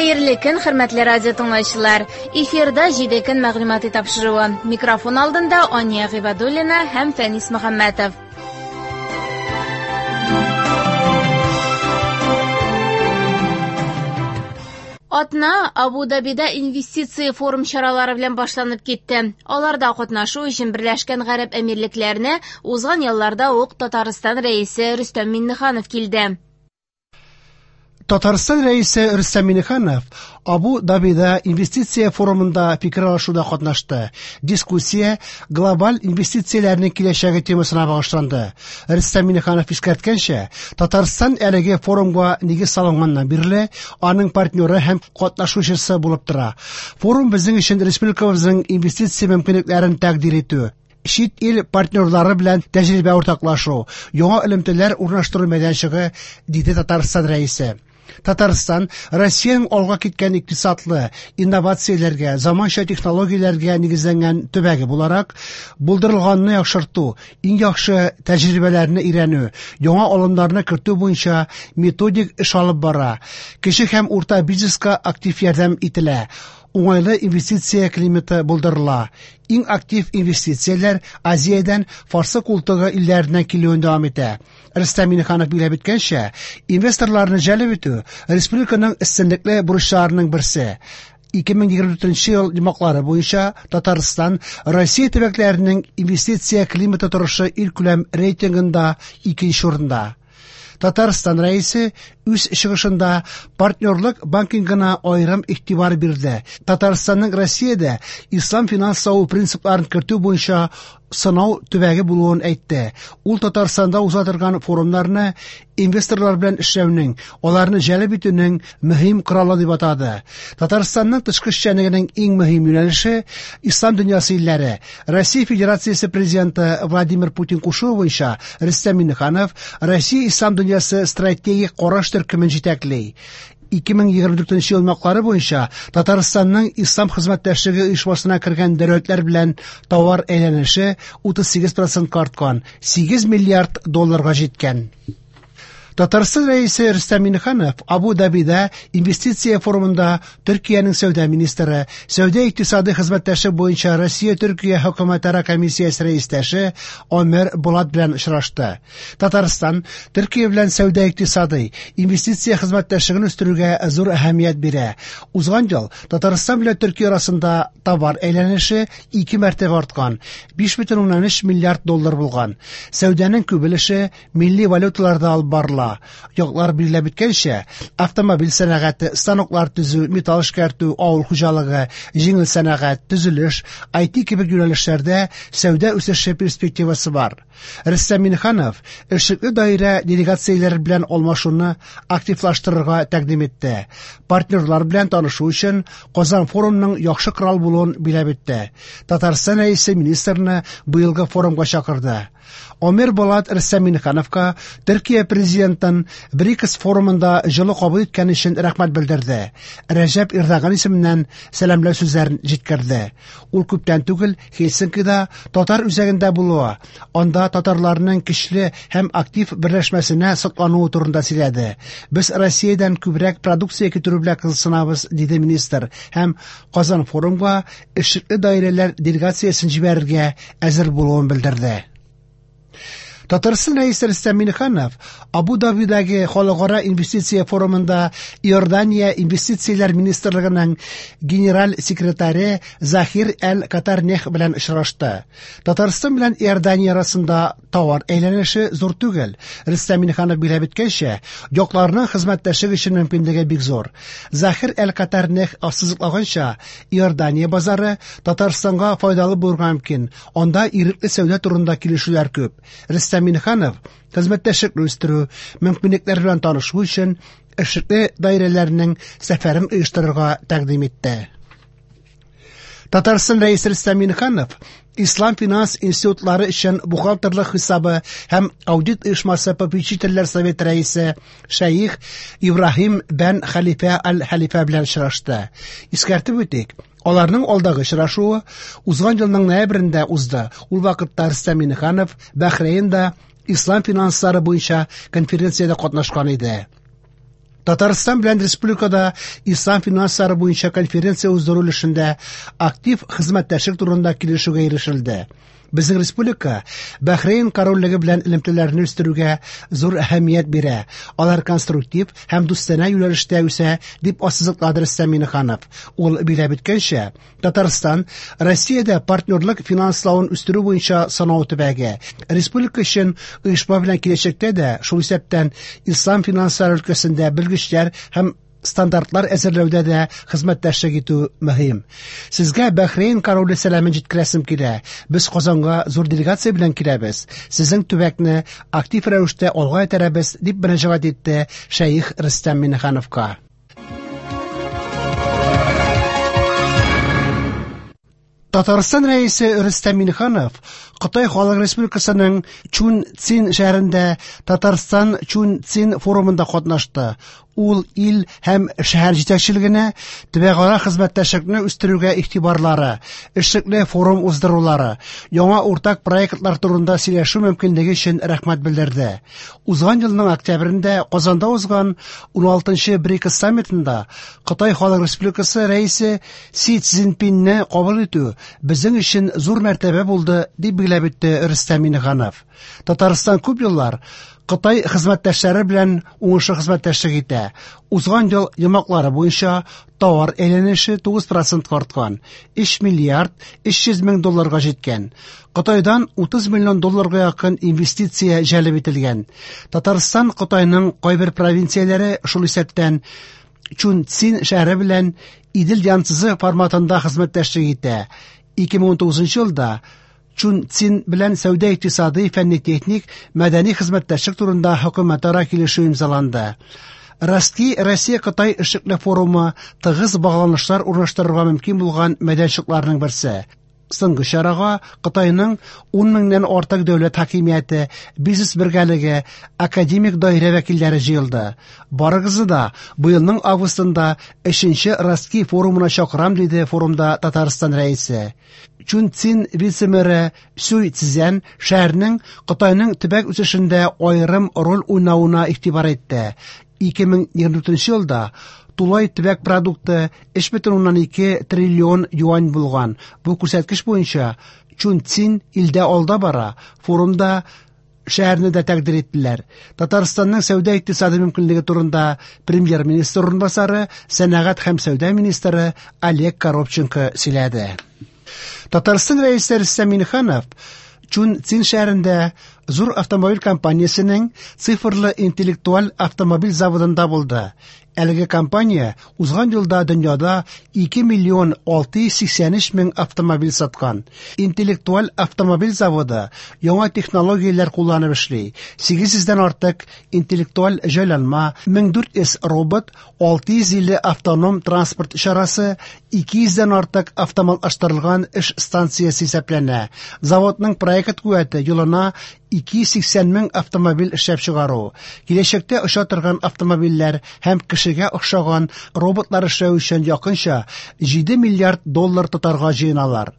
Хәерле көн, хөрмәтле радио тыңлаучылар. Эфирда 7 көн мәгълүмати тапшыруы. Микрофон алдында Ания Гыйбадуллина һәм Фәнис Мөхәммәтов. Атна Абу-Дабида инвестиция форум чаралары белән башланып китте. Аларда катнашу өчен Берләшкән Гарәп Әмирлекләренә узган ялларда ук Татарстан Рәисе Рөстәм Миңнеханов килде. Татарстан Рәисе Рөстәм Миңнеханов Абу-Дабида инвестиция форумында фикер алышуда катнашты. Дискуссия глобаль инвестицияләрнең киләчәге темасына багышланды. Рөстәм Миңнеханов искәрткәнчә, Татарстан әлеге форумга нигез салынганнан бирле аның партнеры һәм катнашучысы булып тора. Форум безнең өчен республикабызның инвестиция мөмкинлекләрен тәкъдир итү, чит ил партнерлары белән тәҗрибә уртаклашу, яңа элемтәләр урнаштыру мәйданчыгы, диде Татарстан Рәисе. Татарстан Россиянең алга киткән икътисадлы, инновацияләргә, заманча технологияләргә нигезләнгән төбәге буларак, булдырылганны яхшырту, иң яхшы тәҗрибәләрне өйрәнү, яңа алымнарны кертү буенча методик эш алып бара. Кече һәм урта бизнеска актив ярдәм ителә. Уңайлы инвестиция климаты булдырыла. Иң актив инвестицияләр Азиядән Фарсы култыгы илләреннән килүен дәвам итә. Рөстәм Миңнеханов билгеләп үткәнчә, инвесторларны җәлеп итү республиканың өстенлекле бурычларының берсе. 2024 ел йомгаклары буенча Татарстан Россия төбәкләренең инвестиция климаты торышы илкүләм рейтингында икенче урында. Татарстан Рәисе үз чыгышында партнерлык банкингына аерым игътибар бирде. Татарстанның Россиядә ислам финанславы принципларын кертү буенча сынау төбәге булуын әйтте. Ул Татарстанда уза торган форумнарны инвесторлар белән эшләүнең, аларны җәлеп итүнең мөһим коралы дип атады. Татарстанның тышкы эшчәнлегенең иң мөһим юнәлеше ислам дөньясы илләре. Россия Федерациясе президенты Владимир Путин кушуы буенча Рөстәм Миңнеханов Россия ислам дөньясы стратегик караш төркемен җитәкли. 2024 ел йомгаклары буенча Татарстанның Ислам хезмәттәшлеге оешмасына кергән дәүләтләр белән товар әйләнеше 38% арткан, 8 миллиард долларга җиткән. Татарстан Рәисе Рөстәм Миңнеханов Абу-Дабида инвестиция форумында Төркиянең сәүдә министры, сәүдә икътисады хезмәттәшлек буенча Россия-Төркия хөкүмәтара комиссиясе рәистәше Омер Булат белән очрашты. Татарстан Төркия белән сәүдә икътисады, инвестиция хезмәттәшлеген үстерүгә зур әһәмият бирә. Узган ел Татарстан белән Төркия арасында товар әйләнеше ике мәртәбә арткан, 5,3 миллиард доллар булган. Сәүдәнең күп өлеше милли валюталарда алып барыла. Яклар билгеләп үткәнчә, автомобиль сәнәгате, станоклар төзү, металл эшкәртү, авыл хуҗалыгы, җиңел сәнәгать, төзелеш, IT кебек юнәлешләрдә сәүдә үсеше перспективасы бар. Рөстәм Миңнеханов эшлекле даирә делегацияләре белән алмашуны активлаштырырга тәкъдим итте. Партнерлар белән танышу өчен Казан форумының яхшы корал булуын билгеләп үтте. Татарстан Рәисе министрны быелгы форумга чакырды. Омер Болат Рөстәм Миңнехановка Төркия президентын БРИКС форумында җылы кабул иткән өчен рәхмәт белдерде. Рәҗәп Эрдоган исеменнән сәламләү сүзләрен җиткерде. Ул күптән түгел Хельсинкида татар үзәгендә булуы, анда татарларның көчле һәм актив берләшмәсенә соклануы турында сөйләде. Без Россиядән күбрәк продукция китерү белән кызыксынабыз, диде министр һәм Казан форумга эшлекле даирәләр делегациясен җибәрергә әзер булуын белдерде. Татарстан Рәисе Рөстәм Миңнеханов Абу-Дабидагы халыкара инвестиция форумында Иордания инвестицияләр министрлыгының генераль секретаре Захир Әл-Катарнех белән очрашты. Татарстан белән Иордания арасында товар әйләнеше зур түгел. Рөстәм Миңнеханов билгеләп үткәнчә, якларның хезмәттәшлек өчен мөмкинлеге бик зур. Захир Әл-Катарнех ассызыклаганча, Иордания базары Татарстанга файдалы булырга мөмкин. Анда ирекле сәүдә турында килешүләр күп. Рөстәм Миңнеханов хезмәттәшлекне үстерү, мөмкинлекләр белән танышу өчен эшлекле даирәләрнең сәфәрен оештырырга тәкъдим итте. Татарстан Рәисе Рөстәм Миңнеханов Ислам финанс институтлары өчен бухгалтерлык хисабы һәм аудит оешмасы попечительләр советы рәисе шәех Ибраһим бән Хәлифә аль-Хәлифә белән очрашты. Искәртеп үтик, аларның алдагы очрашуы узган елның ноябрендә узды. Ул вакытта Рөстәм Миңнеханов Бәхрәйнда ислам финанслары буенча конференциядә катнашкан иде. Татарстан белән республикада ислам финанслары буенча конференция уздыру өлешендә актив хезмәттәшлек турында килешүгә ирешелде. Безнең республика Бәхрейн корольлеге белән элемтәләрне үстерүгә зур әһәмият бирә. Алар конструктив һәм дустанә юнәлештә үсә, дип ассызыклады Рөстәм Миңнеханов. Ул билгеләп үткәнчә, Татарстан Россиядә партнерлык финанславын үстерү буенча санау төбәге. Республика өчен оешма белән киләчәктә дә, шул исәптән ислам финанслары өлкәсендә белгечләр һәм стандартлар әзерләүдә дә хезмәттәшлек итү мөһим. Сезгә Бәхрейн короле сәламен җиткерәсем килә. Без Казанга зур делегация белән киләбез. Сезнең төбәкне актив рәвештә алга этәрәбез, дип мөрәҗәгать итте шәех Рөстәм Миңнехановка. Татарстан Рәисе Рөстәм Миңнеханов Кытай Халык Республикасының Чунцин шәһәрендә Татарстан Чунцин форумында катнашты. Ул ил һәм шәһәр җитәкчелегенә төбәкара хезмәттәшлекне үстерүгә игътибарлары, эшлекле форум уздырулары, яңа уртак проектлар турында сөйләшү мөмкинлеге өчен рәхмәт белдерде. Узган елның октябрендә Казанда узган 16-нчы БРИКС саммитында Кытай Халык Республикасы Рәисе Си Цзиньпинне кабул итү безнең өчен зур мәртәбә булды, дип билгеләп үтте Рөстәм Миңнеханов. Татарстан күп еллар Кытай хезмәттәшләре белән уңышлы хезмәттәшлек итә. Узган ел йомгаклары буенча товар әйләнеше 9% арткан, 3 миллиард 300 мең долларга җиткән. Кытайдан 30 миллион долларга якын инвестиция җәлеп ителгән. Татарстан Кытайның кайбер провинцияләре, шул исәптән Чунцин шәһәре белән Идел Янцзы форматында хезмәттәшлек итә. 2019 елда Чунцин белән сәүдә-икътисадый, фәнни-техник, мәдәни хезмәттәшлек турында хөкүмәтара килешү имзаланды. Ростки Россия-Кытай эшлекле форумы тыгыз багланышлар урнаштырырга мөмкин булган мәйданчыкларның берсе. Соңгы чарага Кытайның 10 меңнән артык дәүләт хакимияте, бизнес бергәлеге, академик даирә вәкилләре җыелды. Барыгызны да быелның августында 3нче Ростки форумына чакырам, диде форумда Татарстан Рәисе. Чунцин вице-мэры Сюй Цзян шәһәрнең Кытайның төбәк үсешендә аерым роль уйнавына игътибар итте. 2024 елда тулай төбәк продукты 3,2 триллион юань булган. Бу күрсәткеч буенча Чунцин илдә алда бара. Форумда шәһәрне дә тәкъдир иттеләр. Татарстанның сәүдә-икътисади мөмкинлеге турында премьер-министр урынбасары, сәнәгать һәм сәүдә министры Олег Коробченко сөйләде. Татарстан Рәисе Рөстәм Миңнеханов Чунцин шәһәрендә зур автомобиль компаниясенең цифрлы интеллектуаль автомобиль заводында булды. Әлеге компания узган елда дөньяда 2 миллион 683 мең автомобиль саткан. Интеллектуаль автомобиль заводы яңа технологияләр кулланып эшли. 800 дән артык интеллектуаль җайланма, 1400 робот, 650 автоном транспорт чарасы, 200 дән артык автоматлаштырылган эш станциясе исәпләнә. Заводның проект куәте елына 280 мең автомобиль эшләп чыгару. Киләчәктә оча торган автомобильләр һәм кешегә охшаган роботлар эшләү өчен якынча 7 миллиард доллар тотарга җыеналар.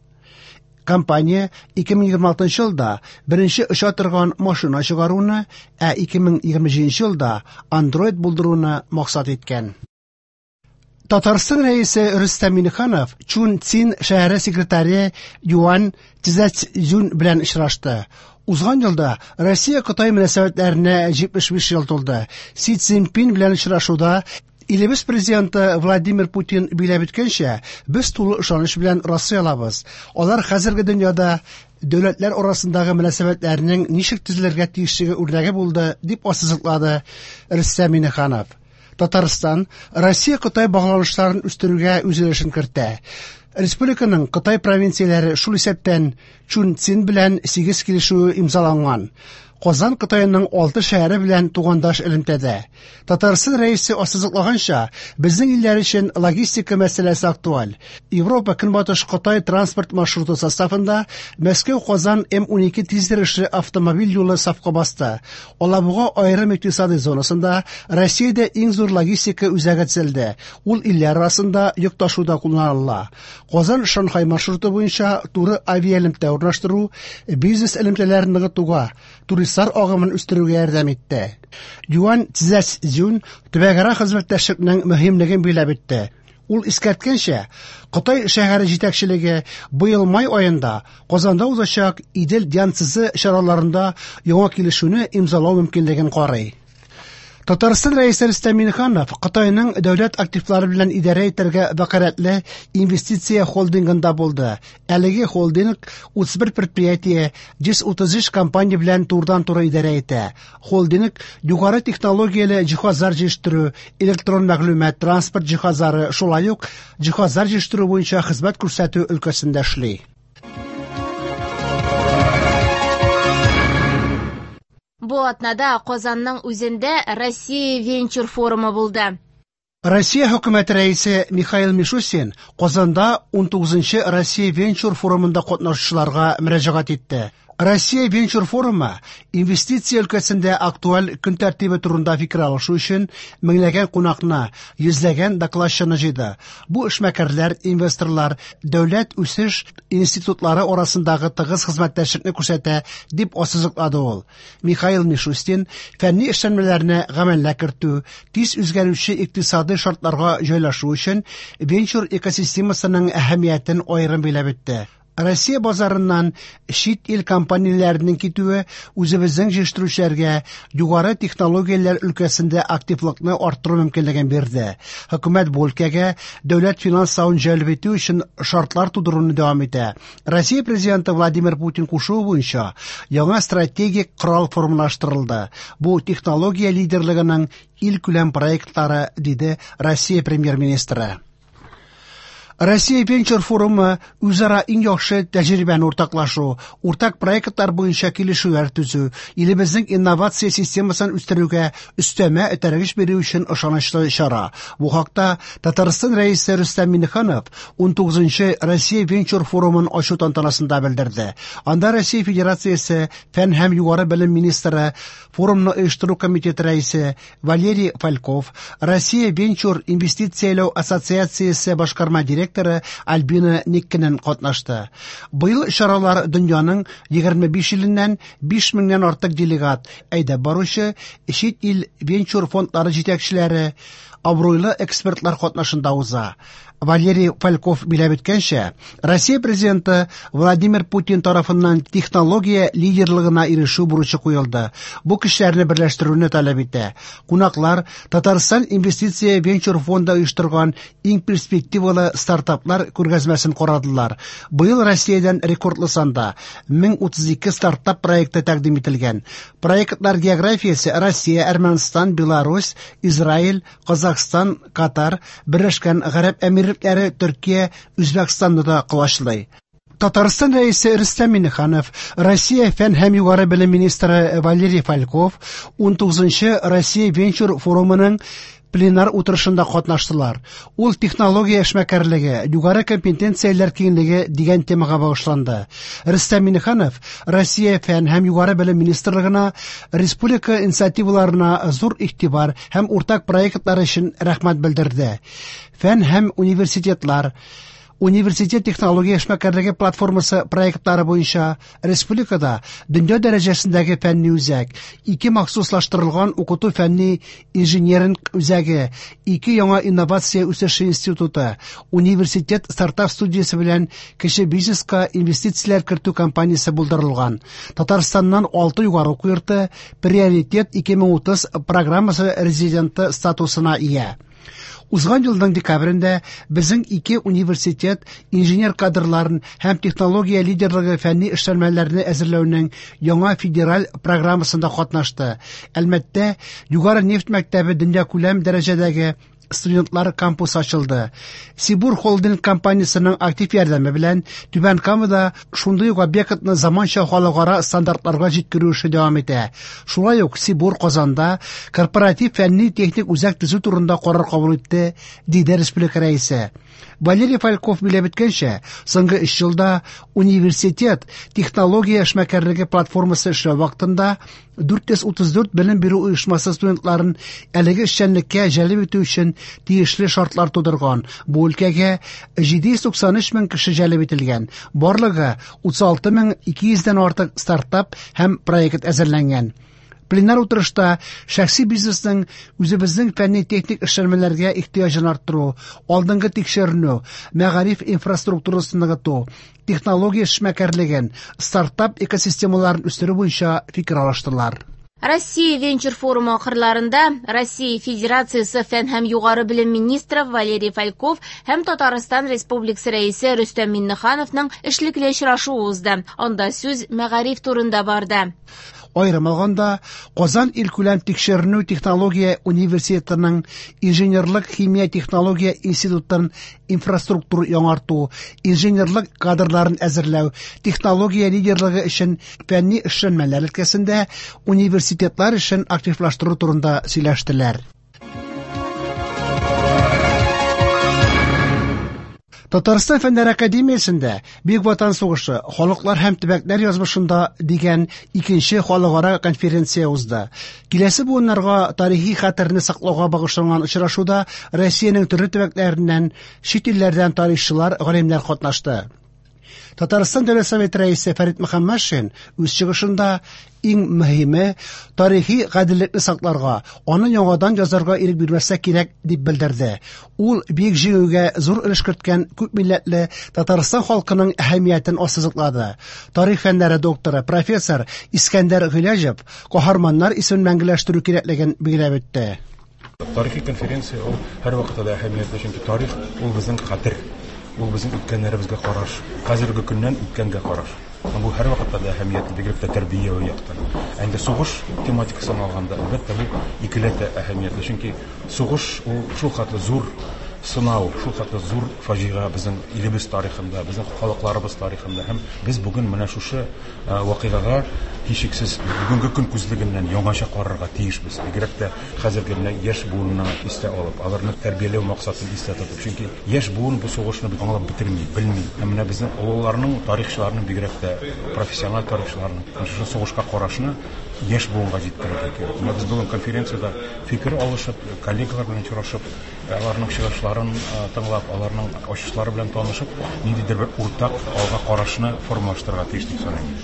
Компания 2026 елда беренче оча торган машина чыгаруны, ә 2027 елда Android булдыруны максат иткән. Татарстан Рәисе Рөстәм Миңнеханов Чунцин шәһәре секретаре Юань Цзэцзюн белән очрашты. Узган елда Россия-Кытай мөнәсәбәтләренә 75 ел тулды. Си Цзиньпин белән очрашуда илебез президенты Владимир Путин билгеләп үткәнчә, без тулы ышаныч белән раслый алабыз. Алар хәзерге дөньяда дәүләтләр арасындагы мөнәсәбәтләрнең ничек төзелергә тиешлеге үрнәге булды, дип ассызыклады Рөстәм Миңнеханов. Татарстан Россия-Кытай багланышларын үстерүгә үз өлешен кертә. Республиканың Кытай провинцияләре, шул исәптән Чунцин белән 8 килешүе имзаланган. Казан Кытайның 6 шәһәре белән тугандаш элемтәдә. Татарстан Рәисе ассызыклаганча, безнең илләр өчен логистика мәсьәләсе актуаль. Европа Көнбатыш Кытай транспорт маршруты составында Мәскәү-Казан М12 тизйөрешле автомобиль юлы сафка басты. Алабуга аерым икътисади зонасында Россиядә иң зур логистика үзәге төзелде. Ул илләр арасында йөк ташуда кулланыла. Казан-Шанхай маршруты буенча туры авиаэлемтә урнаштыру, бизнес элемтәләрен ныгытуга, туристлар Туристлар агымын үстерүгә ярдәм итте. Юань Цзэцзюн төбәкара хезмәттәшлекнең мөһимлеген билгеләп үтте. Ул искәрткәнчә, Кытай шәһәре җитәкчелеге быел май аенда Казанда узачак Идел Янцзы чараларында яңа килешүне имзалау мөмкинлеген карый. Татарстан Рәисе Рөстәм Миңнеханов Кытайның дәүләт активлары белән идарә итәргә вәкаләтле инвестиция холдингында булды. Әлеге холдинг 31 предприятие, 133 компания белән турыдан-туры идарә итә. Холдинг югары технологияле җиһазлар җитештерү, электрон мәгълүмат, транспорт җиһазлары, шулай ук җиһазлар җитештерү буенча хезмәт күрсәтү өлкәсендә эшли. Бу атнада Казанның үзендә Россия венчур форумы булды. Россия хөкүмәте рәисе Михаил Мишустин Казанда 19нчы Россия венчур форумында катнашучыларга мөрәҗәгать итте. Россия венчур форумы инвестиция өлкәсендә актуаль көн тәртибе турында фикер алышу өчен меңләгән кунакны, йөзләгән докладчыны җыйды. Бу эшмәкәрләр, инвесторлар, дәүләт үсеш институтлары арасындагы тыгыз хезмәттәшлекне күрсәтә, дип ассызыклады ул. Михаил Мишустин фәнни эшләнмәләрне гамәлгә кертү, тиз үзгәрүче икътисадый шартларга җайлашу өчен венчур экосистемасының әһәмиятен аерым билгеләп үтте. Россия базарыннан чит ил компанияләренең китүе үзебезнең җитештерүчеләргә югары технологияләр өлкәсендә активлыкны арттыру мөмкинлеген бирде. Хөкүмәт бу өлкәгә дәүләт финанславын җәлеп итү өчен шартлар тудыруны дәвам итә. Россия президенты Владимир Путин кушуы буенча яңа стратегик корал формалаштырылды. Бу технология лидерлыгының илкүләм проектлары, диде Россия премьер-министры. Россия венчур форумы үзара иң яхшы тәҗрибәне уртаклашу, уртак проектлар буенча килешүләр төзү, илебезнең инновация системасын үстерүгә өстәмә этәргеч бирү өчен ышанычлы чара. Бу хакта Татарстан Рәисе Рөстәм Миңнеханов 19нчы Россия венчур форумын ачу тантанасында белдерде. Анда Россия Федерациясе фән һәм югары белем министры, форумны оештыру комитеты рәисе Валерий Фальков, Россия венчур инвестицияләү ассоциациясе башкарма директоры Альбина Никкинен катнашты. Быел чаралар дөньяның 25 иленнән 5 меңнән артык делегат, әйдәп баручы чит ил венчур фондлары җитәкчеләре, абруйлы экспертлар катнашында уза. Валерий Фальков билгеләп үткәнчә, Россия президенты Владимир Путин тарафыннан технология лидерлыгына ирешү бурычы куелды. Бу көчләрне берләштерүне таләп итә. Кунаклар Татарстан инвестиция венчур фонды оештырган иң перспективалы стартаплар күргәзмәсен карадылар. Быел Россиядән рекордлы санда 1032 стартап проекты тәкъдим ителгән. Проектлар географиясе Россия, Әрмәнстан, Беларусь, Израиль, Казахстан, Катар, Берләшкән Гарәп Әмирлекләре, Төркия, Үзбәкстанны да колачлый. Татарстан Рәисе Рөстәм Миңнеханов, Россия фән һәм югары белем министры Валерий Фальков 19нчы Россия венчур форумының пленар утырышында катнаштылар. Ул технология эшмәкәрлеге, югары компетенцияләр киңлеге дигән темага багышланды. Рөстәм Миңнеханов Россия фән һәм югары белем министрлыгына республика инициативаларына зур игътибар һәм уртак проектлар өчен рәхмәт белдерде. Фән һәм университетлар Университет технология эшмәкәрлеге платформасы проектлары буенча республикада дөнья дәрәҗәсендәге фәнни үзәк, ике махсуслаштырылган укыту фәнни инженеринг үзәге, ике яңа инновация үсеше институты, университет стартап студиясе белән кече бизнеска инвестицияләр кертү компаниясе булдырылган. Татарстаннан 6 югары уку йорты Приоритет 2030 программасы резиденты статусына ия. Узган елның декабрендә безнең ике университет инженер кадрларын һәм технология лидерлыгы фәнни эшләнмәләрне әзерләүнең яңа федераль программасында катнашты. Әлмәттә Югары нефть мәктәбе дөньякүләм дәрәҗәдәге студентлар кампусы ачылды. Сибур холдинг компаниясының актив ярдәме белән Түбән Камада шундый ук объектны заманча халыкара стандартларга җиткерү эше дәвам итә. Шулай ук Сибур Казанда корпоратив фәнни техник үзәк төзү турында карар кабул итте, диде республика рәисе. Валерий Фальков биләп үткәнчә, соңгы 3 елда университет технология эшмәкәрлеге платформасы эшләү вакытында 434 белем бирү оешмасы студентларын әлеге эшчәнлеккә җәлеп итү өчен тиешле шартлар тудырган. Бу өлкәгә 793 мең кеше җәлеп ителгән. Барлыгы 36 200 дән артык стартап һәм проект әзерләнгән. Пленар утырышта шәхси бизнесның үзебезнең фәнни-техник эшләнмәләргә ихтыяҗын арттыру, алдынгы тикшеренү, мәгариф инфраструктурасын ныгыту, технология эшмәкәрлеген, стартап экосистемаларын үстерү буенча фикер алыштылар. Россия венчур форумы ахырларында Россия Федерациясе фән һәм югары белем министры Валерий Фальков һәм Татарстан Республикасы Рәисе Рөстәм Миңнехановның эшлекле очрашуы узды. Анда сүз мәгариф турында барды. Аерым алганда, Казан илкүләм тикшеренү технология университетының инженерлык химия технология институтын инфраструктура яңарту, инженерлык кадрларын әзерләү, технология лидерлыгы өчен фәнни эшләнмәләр өлкәсендә университетлар эшен активлаштыру турында сөйләштеләр. Татарстан Фәннәр Академиясендә Бөек Ватан сугышы, халыклар һәм төбәкләр язмышында дигән икенче халыкара конференция узды. Киләсе буыннарга тарихи хәтерне саклауга багышланган очрашуда Россиянең төрле төбәкләреннән, чит илләрдән тарихчылар, галимнәр катнашты. Татарстан Дәүләт Советы рәисе Фәрит Мөхәммәтшин үз чыгышында иң мөһиме тарихи гаделлекне сакларга, аны яңадан язарга ирек бирмәскә кирәк дип белдерде. Ул Бөек Җиңүгә зур өлеш керткән күп милләтле Татарстан халкының әһәмиятен ассызыклады. Тарих фәннәре докторы, профессор Искәндәр Гыйләҗев каһарманнар исемен мәңгеләштерү кирәклеген билгеләп үтте. Тарихи конференция ул һәрвакытта да әһәмиятле, чөнки тарих ул безнең хәтер, ул безнең үткәннәребезгә караш, хәзерге көннән үткәнгә караш. Һәм бу һәрвакытта да әһәмиятле, бигрәк тә тәрбияви яктан. Ә инде сугыш тематикасын алганда, әлбәттә, бу икеләтә әһәмиятле, чөнки сугыш ул шул хәтле зур сынау, шул хәтле зур фаҗига безнең илебез тарихында, безнең халыкларыбыз тарихында. Һәм без бүген менә шушы вакыйгага һичшиксез бүгенге көн күзлегеннән яңача карарга тиешбез. Бигрәк тә хәзерге менә яшь буынны истә алып, аларны тәрбияләү максатын истә тотып. Чөнки яшь буын бу сугышны бит аңлап бетерми, белми. Һәм менә безнең олыларның, тарихчыларның, бигрәк тә профессиональ тарихчыларның шушы сугышка карашны яшь буынга җиткерергә кирәк. Менә без бүген конференциядә фикер алышып, коллегалар белән очрашып, аларның чыгышларын тыңлап, аларның ачышлары белән танышып, ниндидер бер уртак алга карашны формалаштырырга тиеш дип саныйм.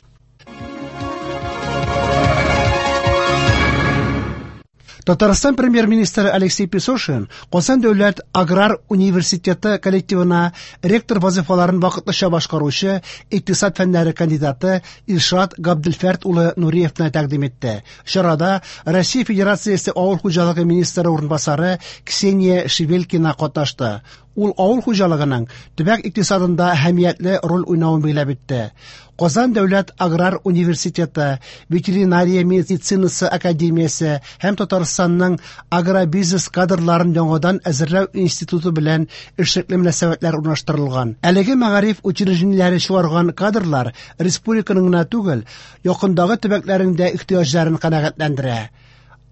Татарстан премьер-министры Алексей Песошин Казан дәүләт аграр университеты коллективына ректор вазифаларын вакытлыча башкаручы икътисад фәннәре кандидаты Илшат Габделфәрт улы Нуриевны тәкъдим итте. Чарада Россия Федерациясе авыл хуҗалыгы министры урынбасары Ксения Шевелькина катнашты. Ул авыл хуҗалыгының төбәк икътисадында әһәмиятле роль уйнавын билгеләп үтте. Казан дәүләт аграр университеты, ветеринария медицинасы академиясе һәм Татарстанның агробизнес кадрларын яңадан әзерләү институты белән эшлекле мөнәсәбәтләр урнаштырылган. Әлеге мәгариф учреждениеләре чыгарган кадрлар республиканың гына түгел, якындагы төбәкләрнең дә ихтыяҗларын канәгатьләндерә.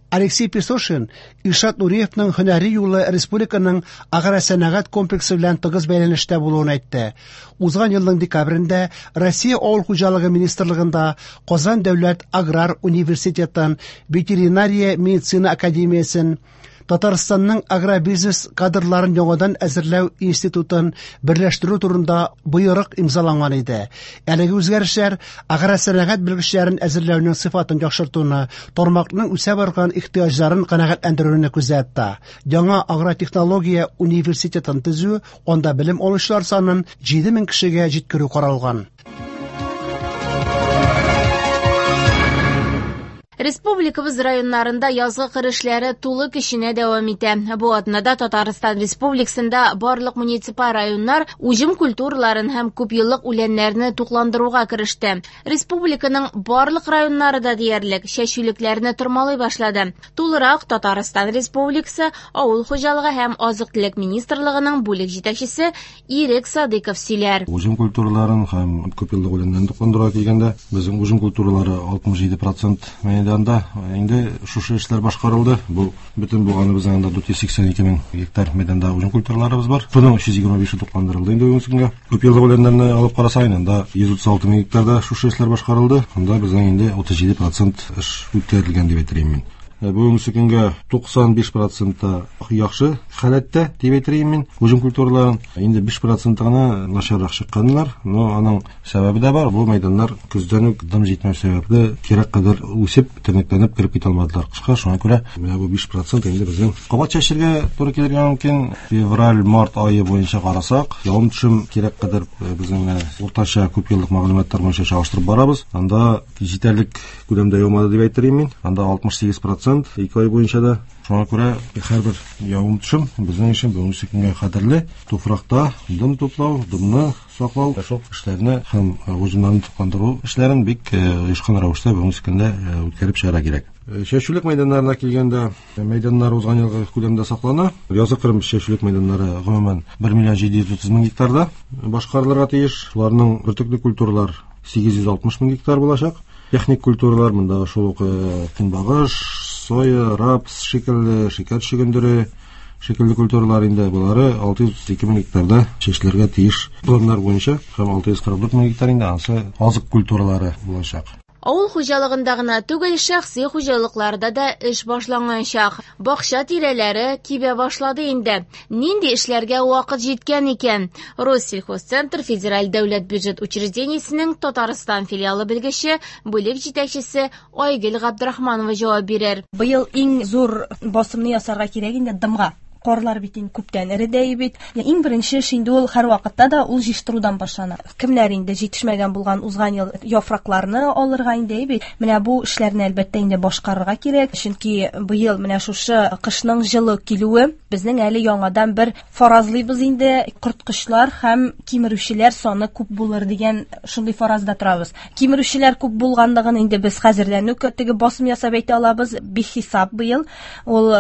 Алексей Песошин Илшат Нуриевның һөнәри юлы республиканың агросәнәгать комплексы белән тыгыз бәйләнештә булуын әйтте. Узган елның декабрендә Россия авыл хуҗалыгы министрлыгында Казан дәүләт аграр университетын, ветеринария медицина академиясен, Татарстанның агробизнес кадрларын яңадан әзерләү институтын берләштерү турында боерык имзаланган иде. Әлеге үзгәрешләр агросәнәгать белгечләрен әзерләүнең сыйфатын яхшыртуны, тармакның үсә барган ихтыяҗларын канәгатьләндерүне күздә тота. Яңа агротехнология университетын төзү, анда белем алучылар санын 7000 кешегә җиткерү каралган. Республикабыз районнарында язгы кыр эшләре тулы көченә дәвам итә. Бу атнада Татарстан Республикасында барлык муниципаль районнар уҗым культураларын һәм күпьеллык үләннәрне тукландыруга кереште. Республиканың барлык районнары да диярлек чәчүлекләрне тормалый башлады. Тулырак Татарстан Республикасы Авыл хуҗалыгы һәм азык-төлек министрлыгының бүлек җитәкчесе Ирек Садыйков сөйләр. Уҗым культураларын һәм күпьеллык үләннәрне тукландыруга килгәндә, безнең уҗым культуралары 67% мәйдан. мәйданда инде шушы эшләр башкарылды. Бу бөтен булганы безнең анда 482 мең гектар мәйданда уҗым культураларыбыз бар. Шуның 325-е тукландырылды инде бүгенге көнгә. Күп еллык үләннәрне алып карасак, анда 136 мең гектарда шушы эшләр башкарылды. Анда безнең инде 37% эш үткәрелгән дип әйтер мин. Бүгенге көнгә 95% яхшы халәттә дип әйтер мин. Уҗым культураларын инде 5% гына начаррак чыкканнар, но аның сәбәбе дә бар. Бу мәйданнар көздән үк дым җитмәү сәбәпле кирәк кадәр үсеп, тернәкләнеп кереп китә алмадылар кышка. Шуңа күрә менә бу 5% инде безнең кабат чәчергә туры килергә мөмкин. Февраль, март ае буенча карасак, явым-төшем кирәк кадәр безнең менә уртача күп еллык мәгълүматлар буенча чагыштырып барабыз. Анда җитәрлек күләмдә яумады дип әйтер мин. Анда 68% ике ай буенча да. Шуңа күрә һәрбер явым-төшем безнең өчен бүгенге көнгә кадерле. Туфракта дым туплау, дымны саклау, шул эшләрне һәм уҗымнарны тукландыру эшләрен бик оешкан рәвештә бүгенге көндә үткәреп чыгарга кирәк. Чәчүлек мәйданнарына килгәндә, мәйданнар узган елгы күләмдә саклана. Язгы кырым чәчүлек мәйданнары гомумән 1 миллион 730 мең гектарда башкарылырга тиеш. Шуларның бөртекле культуралар 860 мең гектар булачак. Техник культуралар монда шул ук көнбагыш, соя, рапс шикелле, шикәр чөгендере шикелле культуралар инде булары 632 мең гектарда чәчелергә тиеш планнар буенча һәм 644 мең гектар инде ансы азык культуралары булачак. Авыл хуҗалыгында гына түгел, шәхси хуҗалыкларда да эш башланганчак. Бакча тирәләре кибә башлады инде. Нинди эшләргә вакыт җиткән икән? Россельхозцентр федераль дәүләт бюджет учреждениесенең Татарстан филиалы белгече, бүлек җитәкчесе Айгөл Габдрахманова җавап бирер. Быел иң зур басымны ясарга кирәк инде дымга. Карлар бит инде күптән эреде бит. Иң беренче эш инде ул һәр вакытта да ул җыештырудан башлана. Кемнәр инде җитешмәгән булган узган ел яфракларны алырга инде бит. Менә бу эшләрне әлбәттә инде башкарырга кирәк, чөнки быел менә шушы кышның җылы килүе безнең әле яңадан бер фаразлыйбыз инде, корткычлар һәм кимерүчеләр саны күп булыр дигән шундый фаразда торабыз. Кимерүчеләр күп булганлыгын инде без хәзердән үк теге басым ясап әйтә алабыз, бихисап быел. Ул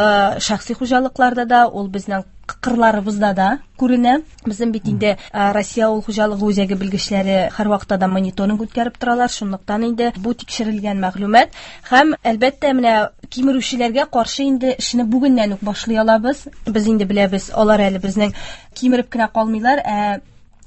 шәхси хуҗалыкларда да, ул безнең кырларыбызда да күренә. Безнең бит инде Россия авыл хуҗалыгы үзәге белгечләре һәр вакытта да мониторинг үткәреп торалар. Шунлыктан инде бу тикшерелгән мәгълүмат һәм әлбәттә менә кимерүчеләргә каршы инде эшне бүгеннән үк башлый алабыз. Без инде беләбез, алар әле безнең кимереп кенә калмыйлар, ә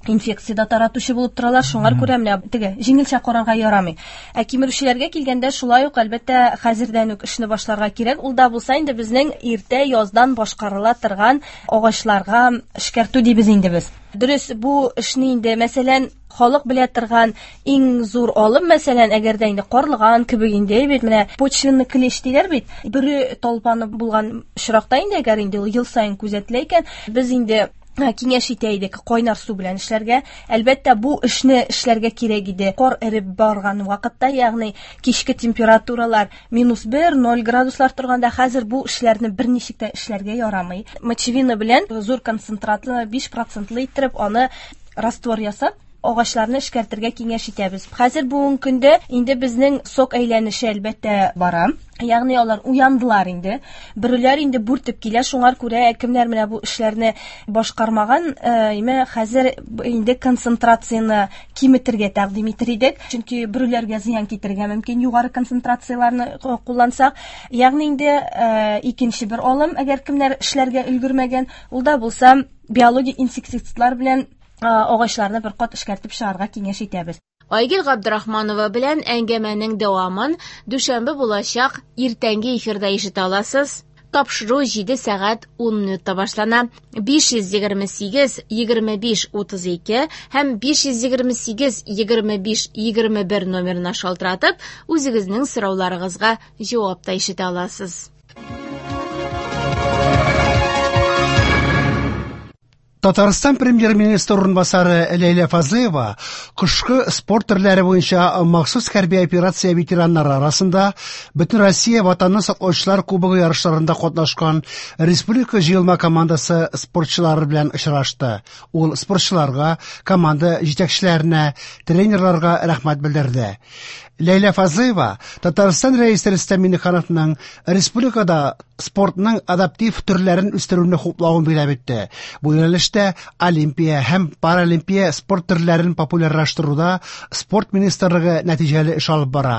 инфекция таратучы булып торалар. Шуңар күрә менә теге җиңелчә карарга ярамый. Ә кимерүчеләргә килгәндә шулай ук әлбәттә хәзердән үк эшне башларга кирәк. Ул да булса инде безнең иртә яздан башкарыла торган агачларга эшкәртү дибез инде без. Дөрес, бу эшне инде, мәсәлән, халык белә торган иң зур алым, мәсәлән, әгәр дә инде карлыган кебек инде бит, менә почвенный клещ диләр бит, бөре талпаны булган очракта инде, әгәр инде ул ел саен күзәтелә икән, без инде киңәш итә идек кайнар су белән эшләргә. Әлбәттә, бу эшне эшләргә кирәк иде. Кар эреп барган вакытта, ягъни кичке температуралар -1, 0 градуслар торганда, хәзер бу эшләрне берничек тә эшләргә ярамый. Мочевина белән зур концентратлы 5% иттереп аны раствор ясап, агачларны эшкәртергә киңәш итәбез. Хәзер бүгенге көндә инде безнең сок әйләнеше әлбәттә бара. Ягъни алар уяндылар инде. Бөреләр инде бүртеп килә. Шуңар күрә кемнәр менә бу эшләрне башкармаган, име хәзер инде концентрацияне киметергә тәкъдим итер идек. Чөнки бөреләргә зыян китерергә мөмкин югары концентрацияләрне куллансак. Ягъни инде икенче бер алым, әгәр кемнәр эшләргә өлгермәгән, ул да булса биологик инсектицидлар белән агачларны бер кат эшкәртеп чыгарга киңәш итәбез. Айгөл Габдрахманова белән әңгәмәнең дәвамын дүшәмбе булачак иртәнге эфирда ишетә аласыз. Тапшыру 7 сәгать 10 минутта башлана. 528 25 32 һәм 528 25 21 номерына шалтыратып, үзегезнең сорауларыгызга җавап та ишетә аласыз. Татарстан премьер-министры урынбасары Ләйлә Фазлыева кышкы спорт төрләре буенча махсус хәрби операция ветераннары арасында Бөтенроссия Ватанны саклаучылар кубогы ярышларында катнашкан республика җыелма командасы спортчылары белән очрашты. Ул спортчыларга, команда җитәкчеләренә, тренерларга рәхмәт белдерде. Ләйлә Фазлыева Татарстан Рәисе Рөстәм Миңнехановның республикада Спортның адаптив төрләрен үстерүне хуплавын билгеләп үтте. Бу юнәлештә олимпия һәм паралимпия спорт төрләрен популярлаштыруда спорт министрлыгы нәтиҗәле эш алып бара.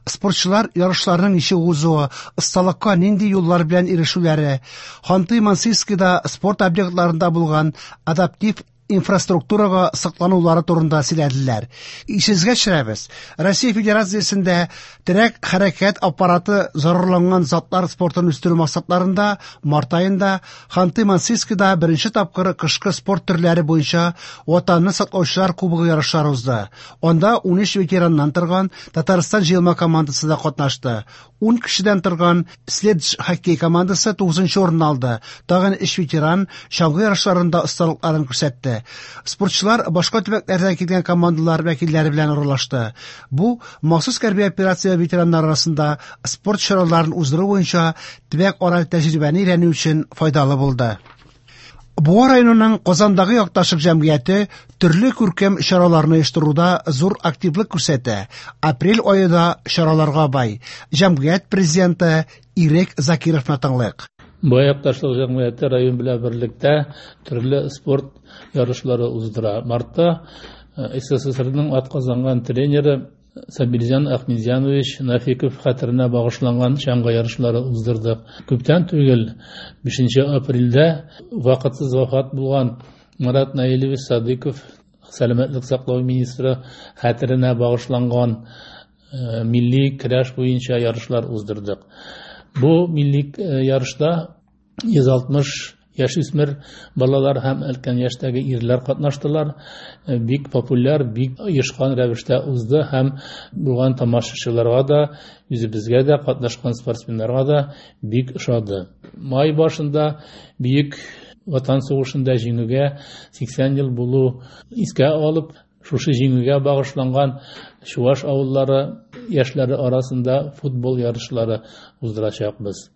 Спортчылар ярышларның ничек узуы, осталыкка нинди юллар белән ирешүләре, Ханты-Мансийскида спорт объектларында булган адаптив инфраструктурага сокланулары турында сөйләделәр. Исегезгә төшерәбез, Россия Федерациясендә терәк хәрәкәт аппараты зарарланган затлар спортын үстерү максатларында март аенда Ханты-Мансийскида беренче тапкыр кышкы спорт төрләре буенча Ватанны саклаучылар кубогы ярышлары узды. Анда 13 ветераннан торган Татарстан җыелма командасы да катнашты. 10 кешедән торган Следж хоккей командасы 9 урын алды. Тагын 3 ветеран чаңгы ярышларында осталыкларын күрсәтте. Спортчылар башка төбәкләрдән килгән командалар вәкилләре белән аралашты. Бу махсус хәрби операция ветераннары арасында спорт чараларын уздыру буенча төбәк-ара тәҗрибәне өйрәнү өчен файдалы булды. Буа районының Казандагы якташлык җәмгыяте төрле күркәм чараларны оештыруда зур активлык күрсәтә. Апрель ае да чараларга бай. Җәмгыять президенты Ирек Закировны тыңлыйк. Буа якташлык җәмгыяте район белән берлектә төрле спорт ярышлары уздыра. Мартта СССРның атказанган тренеры Сабирҗан Ахмедзянович Нафиков хәтеренә багышланган чаңгы ярышлары уздырдык. Күптән түгел 5 апрельдә вакытсыз вафат булган Марат Наилевич Садыков сәламәтлек саклау министры хәтеренә багышланган милли көрәш буенча ярышлар уздырдык. Бу милли ярышта 160 яшүсмер балалар һәм өлкән яшьтәге ирләр катнаштылар. Бик популяр, бик оешкан рәвештә узды һәм булган тамашачыларга да, үзебезгә дә, катнашкан спортсменнарга да бик ошады. Май башында Бөек Ватан сугышында җиңүгә 80 ел булу искә алып, шушы җиңүгә багышланган чуваш авыллары яшьләре арасында футбол ярышлары уздырачакбыз.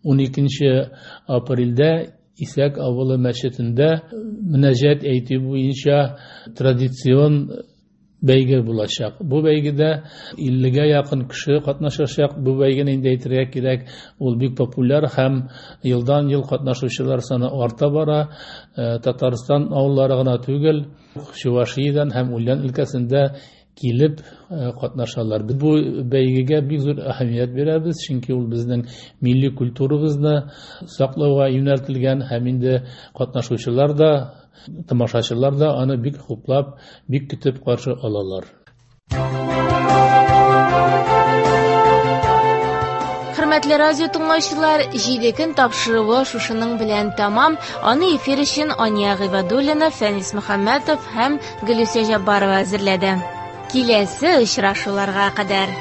12 апрельдә Исәк авылы мәчетендә мөнәҗәт әйтү буенча традицион бәйге булачак. Бу бәйгедә 50-гә якын кеше катнашачак. Бу бәйгене инде әйтергә кирәк, ул бик популяр һәм елдан-ел катнашучылар саны арта бара. Татарстан авыллары гына түгел, Чувашиядән һәм Ульян өлкәсендә килеп катнашалар. Без бу бәйгегә бик зур әһәмият бирәбез, чөнки ул безнең милли культурабызны саклауга юнәлтелгән һәм инде катнашучылар да, тамашачылар да аны бик хуплап, бик көтеп каршы алалар. Хөрмәтле радио тыңлаучылар, җиде көн тапшыруы шушының белән тәмам. Аны эфир өчен Ания Гыйбадуллина, Фәнис Мөхәммәтов һәм Гөлүсә Җаббарова әзерләде. Киләсе очрашуларга кадәр.